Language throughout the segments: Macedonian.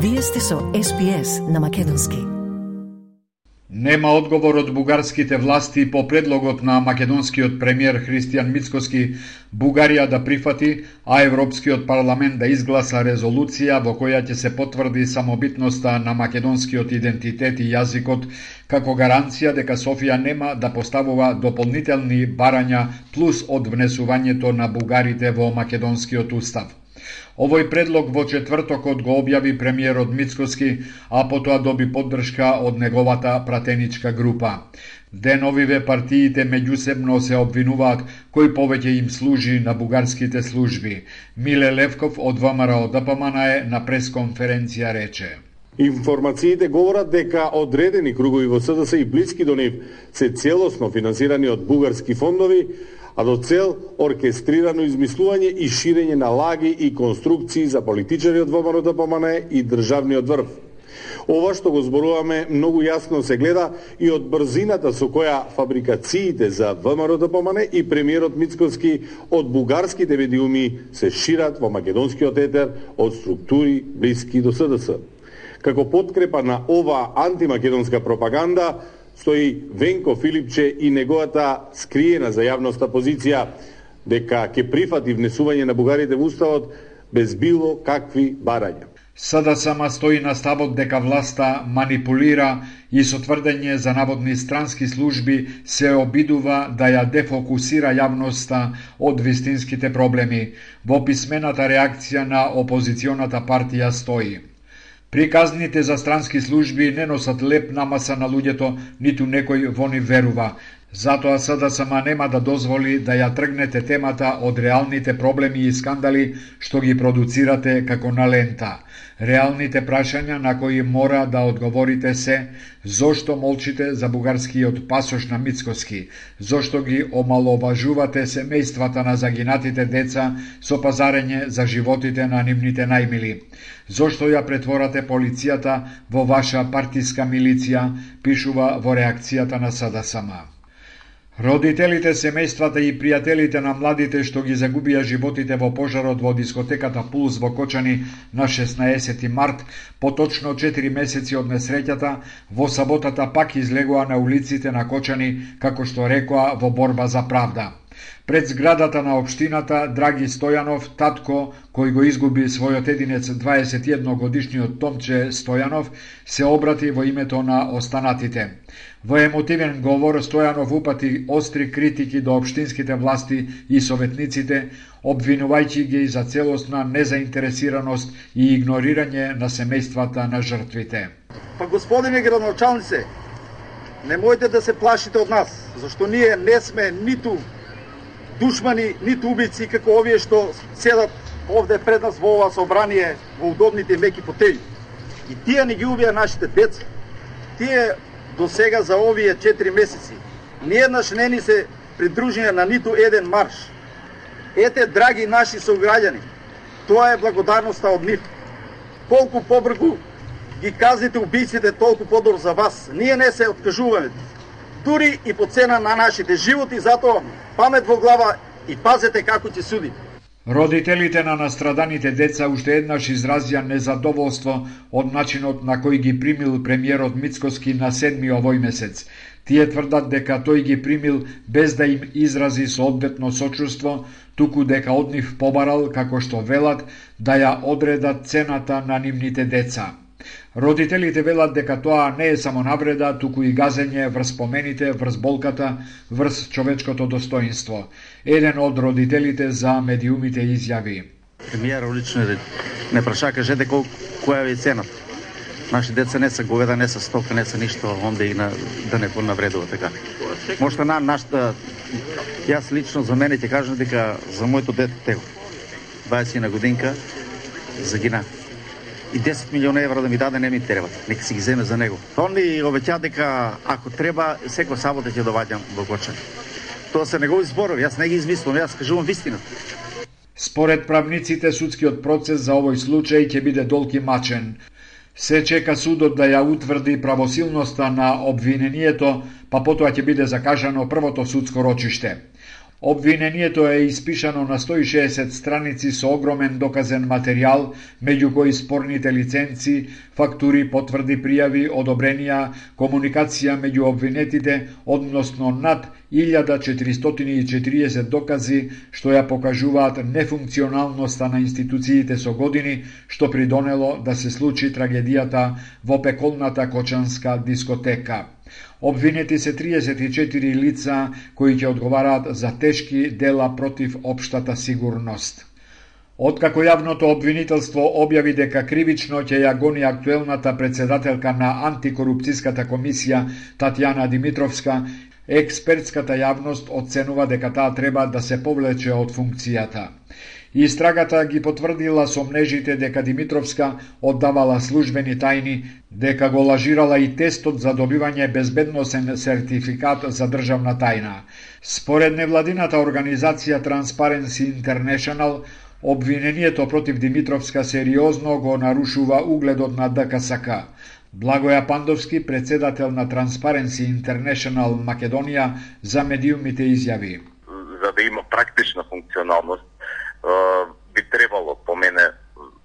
Вие сте со SPS на македонски. Нема одговор од бугарските власти по предлогот на македонскиот премиер Христијан Мицкоски Бугарија да прифати, а Европскиот парламент да изгласа резолуција во која ќе се потврди самобитноста на македонскиот идентитет и јазикот како гаранција дека Софија нема да поставува дополнителни барања плюс од внесувањето на бугарите во македонскиот устав. Овој предлог во четвртокот го објави премиерот Мицкоски, а потоа доби поддршка од неговата пратеничка група. Деновиве партиите меѓусебно се обвинуваат кој повеќе им служи на бугарските служби. Миле Левков од ВМРО ДПМН на пресконференција рече: Информациите говорат дека одредени кругови во СДС и блиски до нив се целосно финансирани од бугарски фондови, а до цел оркестрирано измислување и ширење на лаги и конструкции за политичари од ВМРО ДПМН и државниот врв. Ова што го зборуваме многу јасно се гледа и од брзината со која фабрикациите за ВМРО ДПМН и премиерот Мицкоски од бугарските медиуми се шират во македонскиот етер од структури блиски до СДС. Како подкрепа на ова антимакедонска пропаганда стои Венко Филипче и неговата скриена за јавноста позиција дека ќе прифати внесување на бугарите во уставот без било какви барања. СДСМ стои на ставот дека власта манипулира и со тврдење за наводни странски служби се обидува да ја дефокусира јавноста од вистинските проблеми. Во писмената реакција на опозиционата партија стои: приказните за странски служби не носат леп намаса на луѓето, ниту некој во нив верува. Затоа СДСМ нема да дозволи да ја тргнете темата од реалните проблеми и скандали што ги продуцирате како на лента. Реалните прашања на кои мора да одговорите се: зошто молчите за бугарскиот пасош на Мицкоски? Зошто ги омаловажувате семејствата на загинатите деца со пазарење за животите на нивните најмили? Зошто ја претворате полицијата во ваша партиска милиција, пишува во реакцијата на СДСМ. Родителите, семејствата и пријателите на младите што ги загубија животите во пожарот во дискотеката Пулс во Кочани на 16 март, поточно 4 месеци од несреќата, во саботата пак излегоа на улиците на Кочани, како што рекоа, во борба за правда. Пред зградата на општината Драги Стојанов, татко кој го изгуби својот единец 21 годишниот Томче Стојанов, се обрати во името на останатите. Во емотивен говор Стојанов упати остри критики до општинските власти и советниците, обвинувајќи ги за целосна незаинтересираност и игнорирање на семејствата на жртвите. Па господине градоначалнице, немојте да се плашите од нас, зашто ние не сме ниту душмани, ниту убици како овие што седат овде пред нас во ова собрание во удобните меки фотели. И тие не ги убија нашите деца. Тие до сега за овие 4 месеци ниеднаш не ни се придружија на ниту еден марш. Ете, драги наши сограѓани, тоа е благодарноста од нив. Колку побргу ги казните убиците, толку подобро за вас. Ние не се откажуваме, дури и по цена на нашите животи, затоа памет во глава и пазете како ќе суди. Родителите на настраданите деца уште еднаш изразија незадоволство од начинот на кој ги примил премиерот Мицкоски на 7 овој месец. Тие тврдат дека тој ги примил без да им изрази соодветно сочувство, туку дека од нив побарал, како што велат, да ја одредат цената на нивните деца. Родителите велат дека тоа не е само навреда, туку и газење врз спомените, врз болката, врз човечкото достоинство. Еден од родителите за медиумите изјави: премиерот лично не праша, кажете која е цената. Наши деца не се говеда, не се стока, не се ништо, онде и да не понавредува така. Можда јас лично за мене ќе кажам дека за моето дете tego, 20 годинка, загина. И 10 милиона евра да ми даде не ми треба, нека си ги земе за него. Он ми обеќа дека ако треба секој сабота ќе доваѓам во Кочани. Тоа се негови зборови, јас не ги измислувам, јас кажувам вистината. Според правниците, судскиот процес за овој случај ќе биде долг и мачен. Се чека судот да ја утврди правосилноста на обвинението, па потоа ќе биде закажано првото судско рочиште. Обвинението е испишано на 160 страници со огромен доказен материјал, меѓу кои спорните лиценци, фактури, потврди, пријави, одобренија, комуникација меѓу обвинетите, односно над 1440 докази што ја покажуваат нефункционалноста на институциите со години, што придонело да се случи трагедијата во пеколната кочанска дискотека. Обвинети се 34 лица кои ќе одговараат за тешки дела против општата сигурност. Откако јавното обвинителство објави дека кривично ќе ја гони актуелната председателка на антикорупцијската комисија Татјана Димитровска, експертската јавност оценува дека таа треба да се повлече од функцијата. Истрагата ги потврдила сомнежите дека Димитровска оддавала службени тајни, дека го лажирала и тестот за добивање безбедносен сертификат за државна тајна. Според невладината организација Transparency International, обвинението против Димитровска сериозно го нарушува угледот на ДКСК. Благоја Пандовски, председател на Transparency International Македонија, за медиумите изјави: За да има практична функционалност, би требало по мене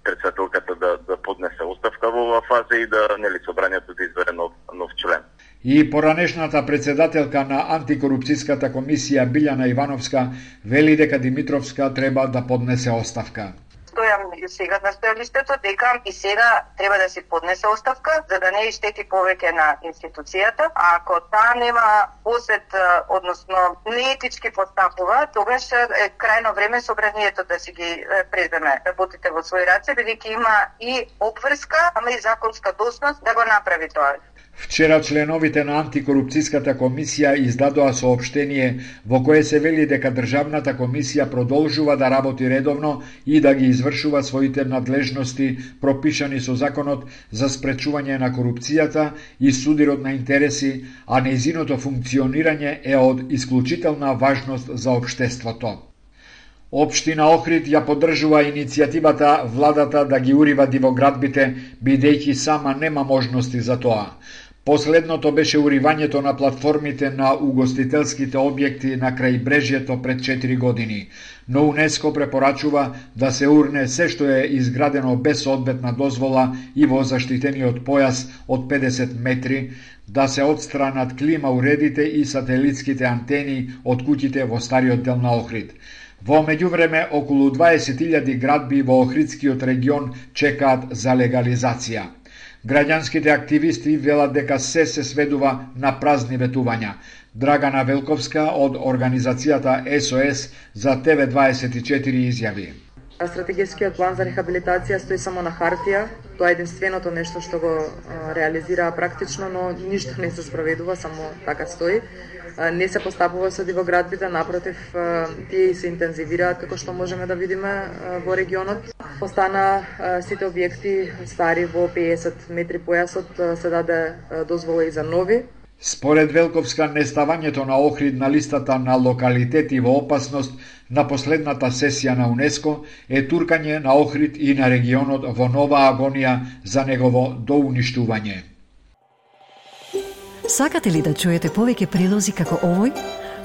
председателката да поднесе оставка во оваа фаза и да собранието да избере нов член. И поранешната председателка на антикорупцијската комисија Билјана Ивановска вели дека Димитровска треба да поднесе оставка. Стојам сега на стојалиштето дека и сега треба да си поднесе оставка за да не иштети повеќе на институцијата, а ако таа нема посет, односно неетички постапува, тогаш е крајно време собранието да си ги преземе работите во своји раце, бидејќи има и обврска, ама и законска должност да го направи тоа. Вчера членовите на антикорупцијската комисија издадоа соопштение во кое се вели дека државната комисија продолжува да работи редовно и да ги извршува своите надлежности пропишани со законот за спречување на корупцијата и судирот на интереси, а нејзиното функционирање е од исклучителна важност за општеството. Општина Охрид ја поддржува иницијативата владата да ги урива дивоградбите, бидејќи сама нема можности за тоа. Последното беше уривањето на платформите на угостителските објекти на крајбрежјето пред 4 години, но УНЕСКО препорачува да се урне се што е изградено без соодветна дозвола и во заштитениот појас од 50 метри, да се отстранат клима уредите и сателитските антени од куќите во стариот дел на Охрид. Во меѓувреме, околу 20.000 градби во Охридскиот регион чекаат за легализација. Граѓанските активисти велат дека се сведува на празни ветувања. Драгана Велковска од организацијата СОС за ТВ24 изјави: Стратегискиот план за рехабилитација стои само на хартија. Тоа е единственото нешто што го реализира практично, но ништо не се спроведува, само така стои. Не се постапува со дивоградбите, напротив, тие се интензивираат, како што можеме да видиме во регионот. Остана сите објекти стари во 50 метри појасот, се даде дозвола и за нови. Според Велковска, неставањето на Охрид на листата на локалитети во опасност на последната сесија на УНЕСКО е туркање на Охрид и на регионот во нова агонија за негово доуништување. Сакате ли да чуете повеќе прилози како овој?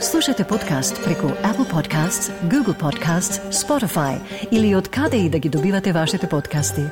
Слушате подкаст преку Apple Podcasts, Google Podcasts, Spotify или од каде и да ги добивате вашите подкасти.